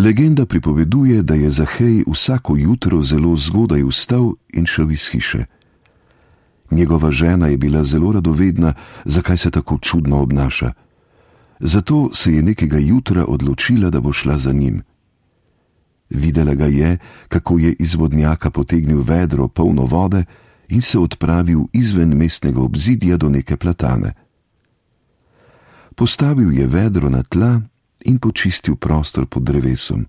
Legenda pripoveduje, da je Zahej vsako jutro zelo zgodaj vstal in šel iz hiše. Njegova žena je bila zelo radovedna, zakaj se tako čudno obnaša. Zato se je nekega jutra odločila, da bo šla za njim. Videla ga je, kako je iz vodnjaka potegnil vedro polno vode in se odpravil izven mestnega obzidja do neke platane. Postavil je vedro na tla in počistil prostor pod drevesom.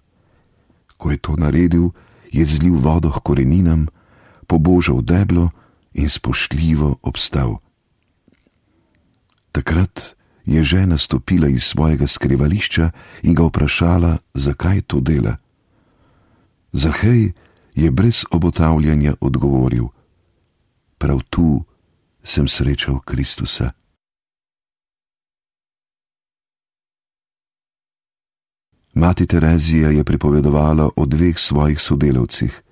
Ko je to naredil, je zlil vodo k koreninam, pobožal deblo in spoštljivo obstal. Takrat je žena stopila iz svojega skrivališča in ga vprašala, zakaj to dela. Zahej je brez obotavljanja odgovoril: prav tu sem srečal Kristusa. Mati Terezija je pripovedovala o dveh svojih sodelavcih.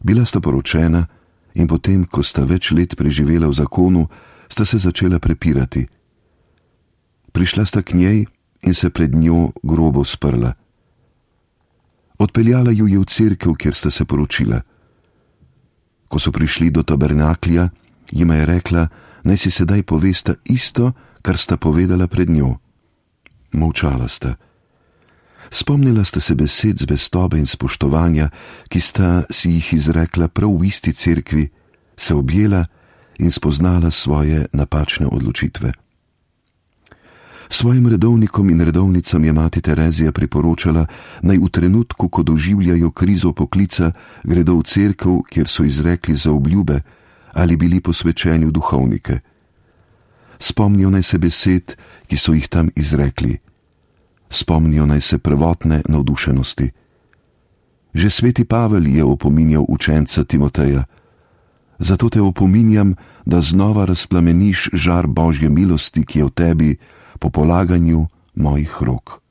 Bila sta poročena in potem, ko sta več let preživela v zakonu, sta se začela prepirati. Prišla sta k njej in se pred njo grobo sprla. Odpeljala ju je v cerkev, kjer sta se poročila. Ko so prišli do tabernaklja, jima je rekla, naj si sedaj povesta isto, kar sta povedala pred njo. Molčala sta. Spomnila sta se besed zvestobe in spoštovanja, ki sta si jih izrekla prav v isti cerkvi, se objela in spoznala svoje napačne odločitve. Svojim redovnikom in redovnicam je mati Terezija priporočala, naj v trenutku, ko doživljajo krizo poklica, gredo v cerkev, kjer so izrekli zaobljube ali bili posvečeni v duhovnike. Spomnijo naj se besed, ki so jih tam izrekli. Spomnijo naj se prvotne navdušenosti. Že sveti Pavel je opominjal učenca Timoteja: zato te opominjam, da znova razplameniš žar Božje milosti, ki je v tebi, po polaganju mojih rok.